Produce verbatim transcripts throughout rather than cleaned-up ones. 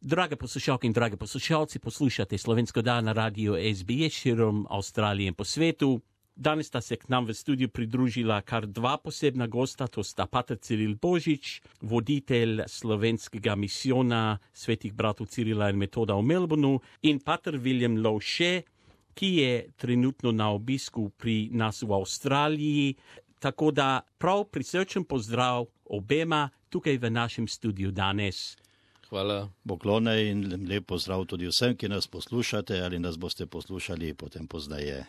Drage poslušalke in drage poslušalci, poslušate Slovensko dan na radiju S B S širom Avstralije in po svetu. Danes sta se k nam v studiu pridružila kar dva posebna gosta, to sta pater Ciril Božič, voditelj slovenskega misijona svetih bratov Cirila in Metoda v Melbourneu, in pater William Lovše, ki je trenutno na obisku pri nas v Avstraliji. Tako da prav prisrčen pozdrav obema tukaj v našem studiu danes. Hvala. Poklone in lep pozdrav tudi vsem, ki nas poslušate ali nas boste poslušali potem poznaje.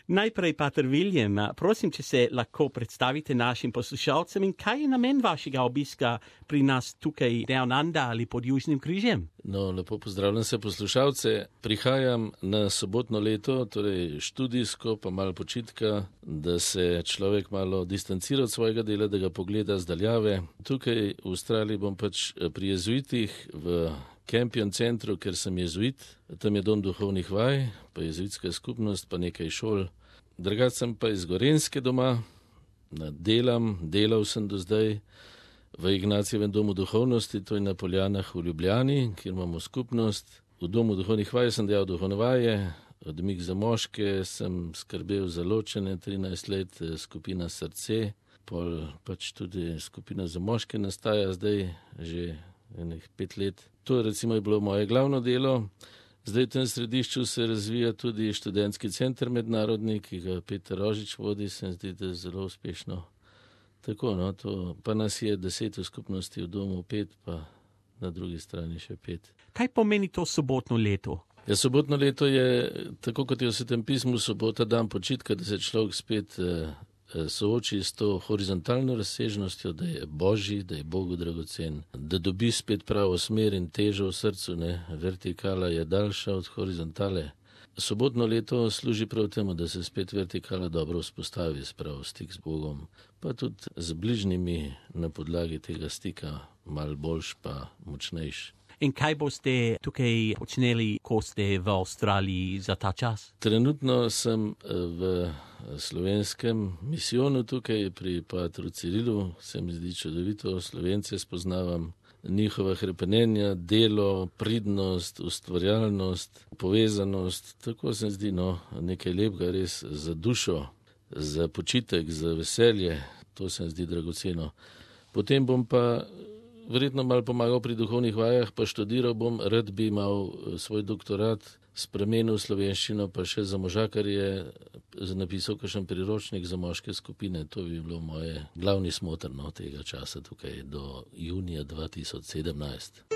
Najprej, pater William, prosim, če se lahko predstavite našim poslušalcem in kaj je namen vašega obiska pri nas tukaj Down Under ali pod Južnim križem? No, lepo pozdravljam se poslušalce. Prihajam na sobotno leto, torej študijsko, pa malo počitka, da se človek malo distancira od svojega dela, da ga pogleda zdaljave. Tukaj v Avstraliji bom pač pri jezuitih v Campion centru, ker sem jezuit, tam je dom duhovnih vaj, pa jezuitska skupnost, pa nekaj šol. Drugače sem pa iz Gorenjske doma, delam, delal sem do zdaj v Ignacijevem domu duhovnosti, to je na Poljanah v Ljubljani, kjer imamo skupnost. V domu duhovnih vaj sem delal duhovne vaje, odmik za moške, sem skrbel za ločene trinajst let, skupina Srce, pol pač tudi skupina za moške nastaja zdaj že enih pet let. To recimo je bilo moje glavno delo. Zdaj v tem središču se razvija tudi študentski center mednarodni, ki ga Peter Rožič vodi, se mi zdi, da je zelo uspešno. Tako, no, to, pa nas je deset v skupnosti, v domu pet, pa na drugi strani še pet. Kaj pomeni to sobotno leto? Ja, sobotno leto je, tako kot je v Svetem pismu, sobota dan počitka, da se človek spet eh, sooči s to horizontalno razsežnostjo, da je Božji, da je Bogu dragocen, da dobi spet pravo smer in težo v srcu, ne, vertikala je daljša od horizontale. Sobotno leto služi prav temu, da se spet vertikala dobro vzpostavi, spravo stik z Bogom, pa tudi z bližnjimi na podlagi tega stika, mal boljš pa močnejš. In kaj boste tukaj počneli, ko ste v Avstraliji za ta čas? Trenutno sem v slovenskem misijonu tukaj pri patru Cirilu, se mi zdi čudovito, Slovence spoznavam, njihova hrepenenja, delo, pridnost, ustvarjalnost, povezanost, tako se mi zdi, no, nekaj lepega res za dušo, za počitek, za veselje, to se mi zdi dragoceno. Potem bom pa verjetno malo pomagal pri duhovnih vajah, pa študiral bom, rad bi imel svoj doktorat, spremenil slovenščino, pa še za moža, kar je napisal kakšen priročnik za moške skupine. To bi bilo moje glavni smoter no, tega časa tukaj do junija dva tisoč sedemnajst.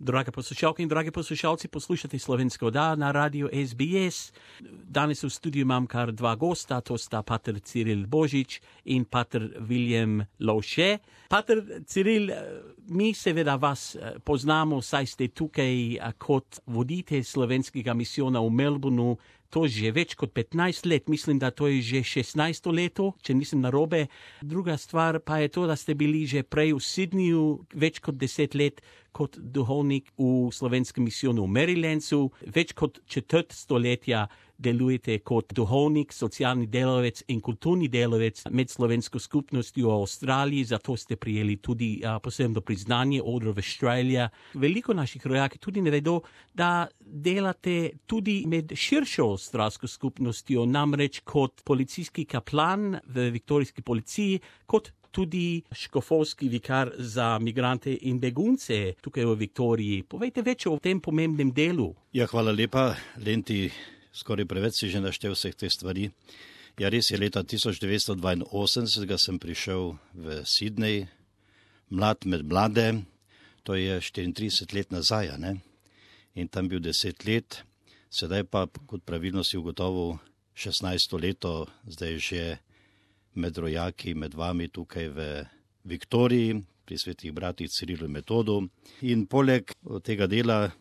Drage poslušalke in drage poslušalci, poslušate Slovensko dan na radiju S B S. Danes v studiu imam kar dva gosta, to sta pater Ciril Božič in pater William Lovše. Pater Ciril, mi seveda vas poznamo, saj ste tukaj kot voditelj slovenskega misijona v Melbourneu, to že več kot petnajst let, mislim, da to je že šestnajsto leto, če nisem narobe. Druga stvar pa je to, da ste bili že prej v Sydneyju več kot deset let kot duhovnik v slovenskem misijonu v Marylandu, več kot četrt stoletja delujete kot duhovnik, socialni delavec in kulturni delavec med slovensko skupnostjo v Avstraliji, zato ste prijeli tudi a, posebno priznanje Order of Australia. Veliko naših rojaki tudi ne vedo, da delate tudi med širšo avstralsko skupnostjo, namreč kot policijski kaplan v viktorijski policiji, kot tudi škofovski vikar za migrante in begunce tukaj v Viktoriji. Povejte več o tem pomembnem delu. Ja, hvala lepa, Lenti. Skoraj preveč si že naštel vseh teh stvari. Ja, res je, leta tisoč devetsto dvainosemdeset sem prišel v Sydney, mlad med mlade, to je štiriintrideset let nazaj, ne? In tam bil deset let, sedaj pa, kot pravilno si ugotovil, šestnajsto leto, zdaj že med rojaki, med vami tukaj v Viktoriji, pri svetih bratih Cirilu in Metodu. In poleg tega dela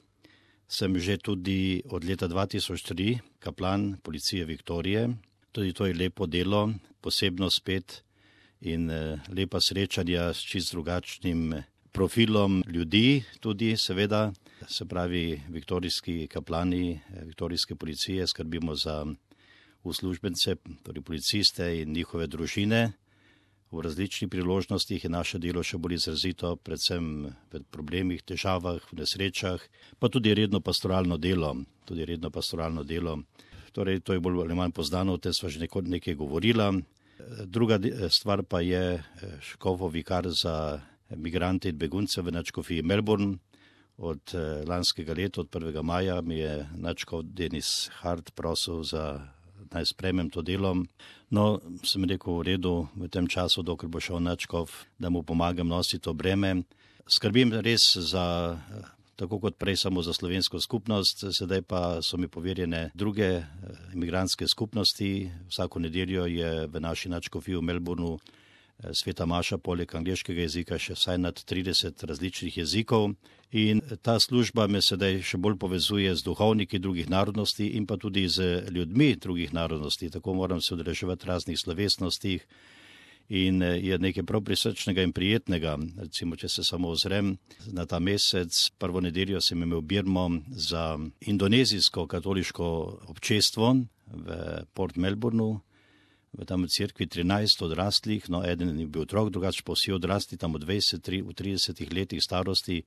sem že tudi od leta dva tisoč tri kaplan policije Viktorije. Tudi to je lepo delo, posebno spet in lepa srečanja s čist drugačnim profilom ljudi, tudi seveda, se pravi viktorijski kaplani, viktorijske policije, skrbimo za uslužbence, torej policiste in njihove družine. V različnih priložnostih je naše delo še bolj izrazito, predvsem v problemih, težavah, v nesrečah, pa tudi redno pastoralno delo. Tudi redno pastoralno delo. Torej, to je bolj ali manj poznano, o tem sva že nekaj govorila. Druga stvar pa je škofov vikar za migrante in begunce v nadškofiji Melbourne. Od lanskega leta, od prvega maja, mi je nadškof Denis Hart prosil za naj sprejmem to delo. No, sem rekel v redu v tem času, dokler bo šel nadškof, da mu pomagam nositi to breme. Skrbim res za, tako kot prej samo za slovensko skupnost, sedaj pa so mi poverjene druge imigrantske skupnosti. Vsako nedeljo je v naši nadškofiji v Melbourneu sveta maša poleg angleškega jezika še vsaj nad trideset različnih jezikov in ta služba me sedaj še bolj povezuje z duhovniki drugih narodnosti in pa tudi z ljudmi drugih narodnosti. Tako moram se udeleževati raznih slovesnostih in je nekaj prav prisrčnega in prijetnega. Recimo, če se samo ozrem na ta mesec, prvo nedeljo sem imel birmo za indonezijsko katoliško občestvo v Port Melbourneu. V tam cerkvi trinajst odraslih, no eden je bil otrok, drugače pa vsi odrasli tam v dvajset, tridesetih letih starosti.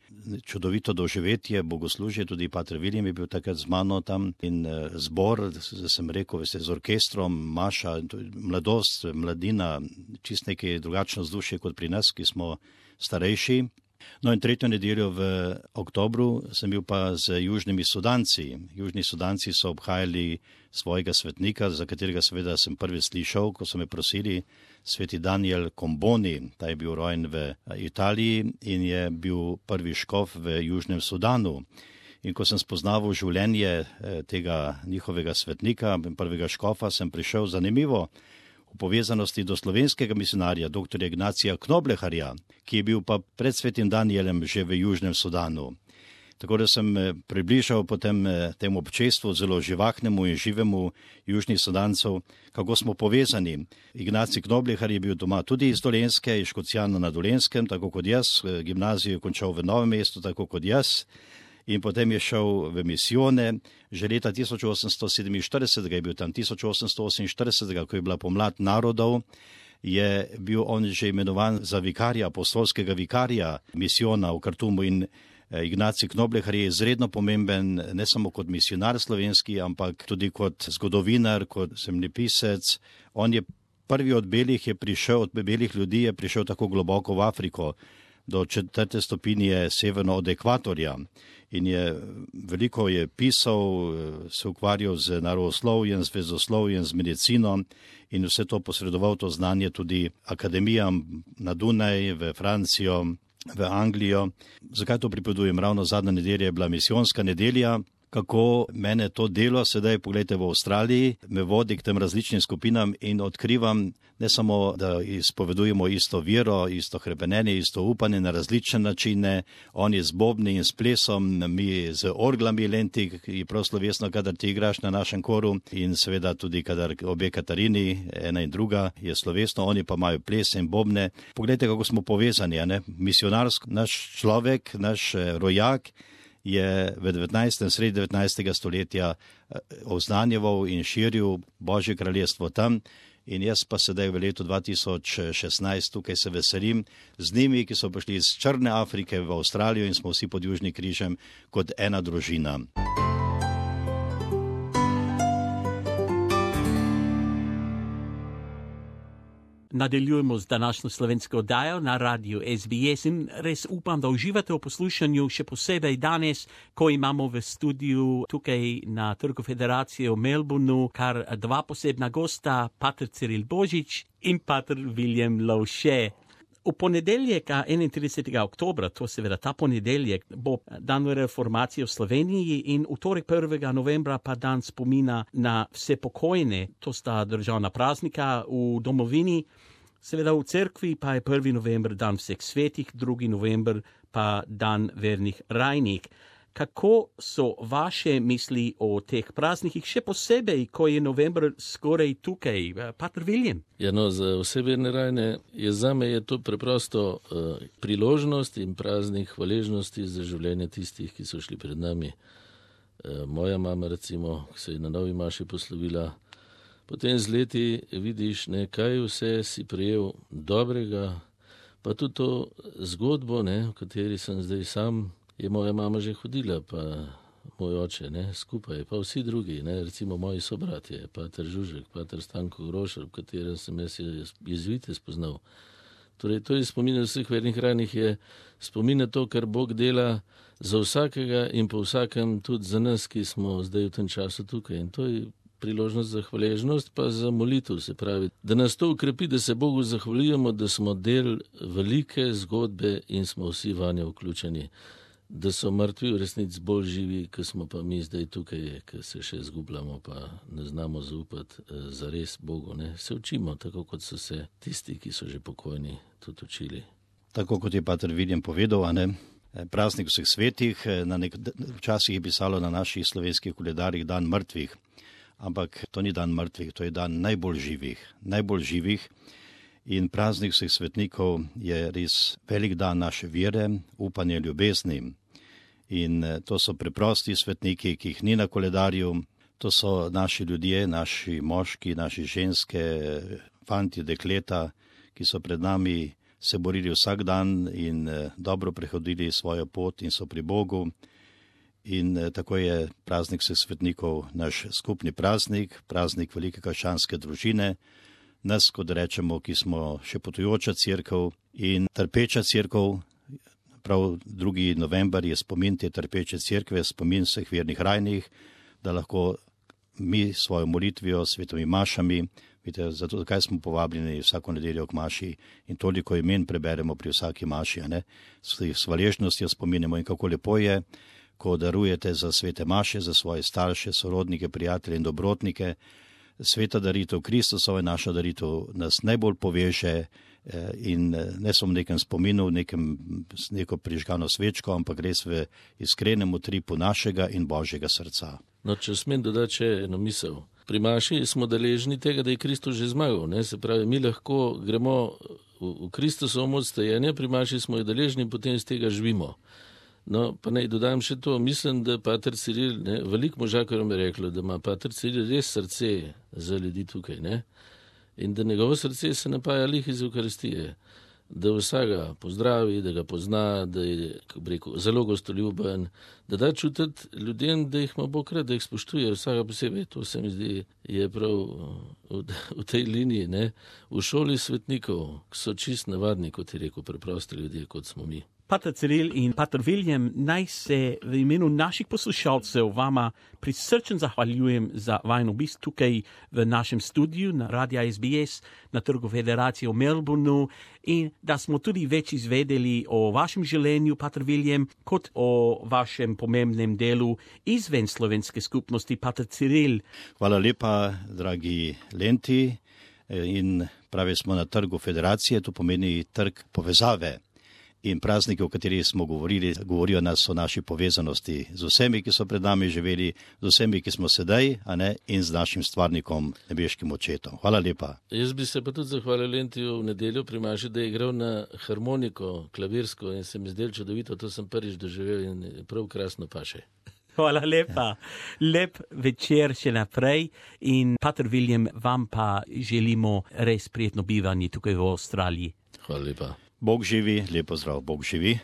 Čudovito doživetje, bogoslužje, tudi pater William je bil takrat z mano tam in zbor, sem rekel, veste, z orkestrom, maša, mladost, mladina, čist nekaj drugačno vzdušje kot pri nas, ki smo starejši. No in tretjo nedeljo v oktobru sem bil pa z južnimi Sudanci. Južni Sudanci so obhajali svojega svetnika, za katerega seveda sem prvi slišal, ko so me prosili, sveti Daniel Komboni. Ta je bil rojen v Italiji in je bil prvi škof v Južnem Sudanu. In ko sem spoznaval življenje tega njihovega svetnika, prvega škofa, sem prišel zanimivo v povezanosti do slovenskega misionarja, doktorja Ignacija Knobleharja, ki je bil pa pred svetim Danielem že v Južnem Sudanu. Tako da sem približal potem temu občestvu zelo živahnemu in živemu Južnih Sudancov, kako smo povezani. Ignacij Knoblehar je bil doma tudi iz Dolenjske, iz Škocjana na Dolenskem, tako kot jaz, gimnazijo je končal v Novem mestu, tako kot jaz. In potem je šel v misijone, že leta tisoč osemsto sedeminštirideset je bil tam, tisoč osemsto oseminštirideset, ko je bila pomlad narodov, je bil on že imenovan za vikarja, apostolskega vikarja misijona v Kartumu in Ignacij Knoblehar je izredno pomemben, ne samo kot misionar slovenski, ampak tudi kot zgodovinar, kot zemljepisec. On je prvi od belih je prišel, od belih ljudi je prišel tako globoko v Afriko, do četrte stopinje severno od ekvatorja. In je veliko je pisal, se ukvarjal z naravoslovjem, z vezoslovjem, z medicino in vse to posredoval to znanje tudi akademijam na Dunaj, v Francijo, v Anglijo. Zakaj to pripovedujem? Ravno zadnja nedelja je bila misijonska nedelja. Kako mene to delo sedaj, pogledajte, v Avstraliji, me vodi k tem različnim skupinam in odkrivam ne samo, da izpovedujemo isto vero, isto hrepenenje, isto upanje na različne načine, oni z bobni in s plesom, mi z orglami lenti, ki prav slovesno, kadar ti igraš na našem koru in seveda tudi, kadar obe Katarini, ena in druga, je slovesno, oni pa imajo plese in bobne. Pogledajte, kako smo povezani, ne? Misionarsko, naš človek, naš rojak, je v devetnajstem, sredi devetnajstega stoletja oznanjeval in širil Božje kraljestvo tam in jaz pa sedaj v letu dva tisoč šestnajst tukaj se veselim z njimi, ki so prišli iz Črne Afrike v Avstralijo in smo vsi pod Južnim križem kot ena družina. Nadaljujemo z današnjo slovensko oddajo na radiju S B S in res upam, da uživate v poslušanju, še posebej danes, ko imamo v studiu tukaj na Trgu Federacije v Melbourneu kar dva posebna gosta, pater Ciril Božič in pater William Lovše. V ponedeljek, enaintridesetega oktobra, to seveda ta ponedeljek, bo dan reformacije v Sloveniji in v torek prvega novembra pa dan spomina na vse pokojne. To sta državna praznika v domovini. Seveda v cerkvi pa je prvi november dan vseh svetih, drugi november pa dan vernih rajnik. Kako so vaše misli o teh praznikih, še posebej, ko je november skoraj tukaj? Pater William? Ja, no, za vse verne rajne je zame je to preprosto uh, priložnost in praznik hvaležnosti za življenje tistih, ki so šli pred nami. Uh, moja mama, recimo, ki se je na novi maši poslovila, potem z leti vidiš, ne, kaj vse si prijel dobrega, pa tudi to zgodbo, ne, v kateri sem zdaj sam, je moja mama že hodila, pa moj oče, ne, skupaj, pa vsi drugi, ne, recimo moji sobratje, pater Žužek, pater Stanko Grošar, v katerem sem jaz jezvite spoznal. Torej, to je spomin vseh vernih ranih, je spomin na to, kar Bog dela za vsakega in po vsakem tudi za nas, ki smo zdaj v tem času tukaj. In to je priložnost za hvaležnost, pa za molitev, se pravi, da nas to ukrepi, da se Bogu zahvaljujemo, da smo del velike zgodbe in smo vsi vanje vključeni. Da so mrtvi v resnici bolj živi, ki smo pa mi zdaj tukaj, ki se še zgubljamo, pa ne znamo zaupati za res Bogu. Ne? Se učimo, tako kot so se tisti, ki so že pokojni, tudi učili. Tako kot je pater Viljem povedal, a ne? Praznik vseh svetih, na nek, včasih je pisalo na naših slovenskih koledarjih dan mrtvih, ampak to ni dan mrtvih, to je dan najbolj živih, najbolj živih. In praznik vseh svetnikov je res velik dan naše vere, upanja, ljubezni. In to so preprosti svetniki, ki jih ni na koledarju, to so naši ljudje, naši moški, naši ženske, fanti, dekleta, ki so pred nami se borili vsak dan in dobro prehodili svojo pot in so pri Bogu. In tako je praznik vseh svetnikov naš skupni praznik, praznik velike krščanske družine, nas, kot rečemo, ki smo še potujoča cerkev in trpeča cerkev. Prav drugi november je spomin te trpeče cerkve, spomin vseh vernih rajnih, da lahko mi svojo molitvijo, svetovimi mašami, vidite, zato zakaj smo povabljeni vsako nedeljo k maši in toliko imen preberemo pri vsaki maši, ne? S hvaležnostjo spominjamo in kako lepo je, ko darujete za svete maše, za svoje starše, sorodnike, prijatelje in dobrotnike. Sveta daritev Kristusova, naša daritev nas najbolj poveže in ne samo v nekem spominu, nekem, neko prižgano svečko, ampak res v iskrenem utripu našega in Božjega srca. No, če smem dodati še eno misel. Pri maši smo deležni tega, da je Kristus že zmagal. Ne? Se pravi, mi lahko gremo v, v Kristusovo moč stajenja, pri maši smo jo deležni in potem iz tega živimo. No, pa naj dodam še to, mislim, da pater Ciril, ne, veliko možakarov mi je reklo, da ima pater Ciril res srce za ljudi tukaj, ne, in da njegovo srce se napaja lih iz Eukaristije, da vsega pozdravi, da ga pozna, da je, kako bi rekel, zelo gostoljuben, da da čutiti ljudem, da jih ima Bog rad, da jih spoštuje vsega posebej. To se mi zdi, je prav v, v tej liniji, ne, v šoli svetnikov, ki so čist navadni, kot je rekel, preprosti ljudje, kot smo mi. Pater Ciril in pater Viljem, naj se v imenu naših poslušalcev vama prisrčno zahvaljujem za vajen obisk tukaj v našem studiu na Radia S B S na Trgu Federacije v Melbourneu in da smo tudi več izvedeli o vašem življenju, pater Viljem, kot o vašem pomembnem delu izven slovenske skupnosti, pater Ciril. Hvala lepa, dragi Lenti, in pravi smo na Trgu Federacije, to pomeni trg povezave. In prazniki, o katerih smo govorili, govorijo nas o naši povezanosti z vsemi, ki so pred nami živeli, z vsemi, ki smo sedaj, a ne, in z našim stvarnikom, nebeškim očetom. Hvala lepa. Jaz bi se pa tudi zahvalil Lentiju v nedeljo pri maši, da je igral na harmoniko, klavirsko in se mi zdelo čudovito, to sem prvič doživel in prav krasno paše. Hvala lepa. Lep večer še naprej in pater Viljem, vam pa želimo res prijetno bivanje tukaj v Avstraliji. Hvala lepa. Bog živi, lepo zdrav, Bog živi.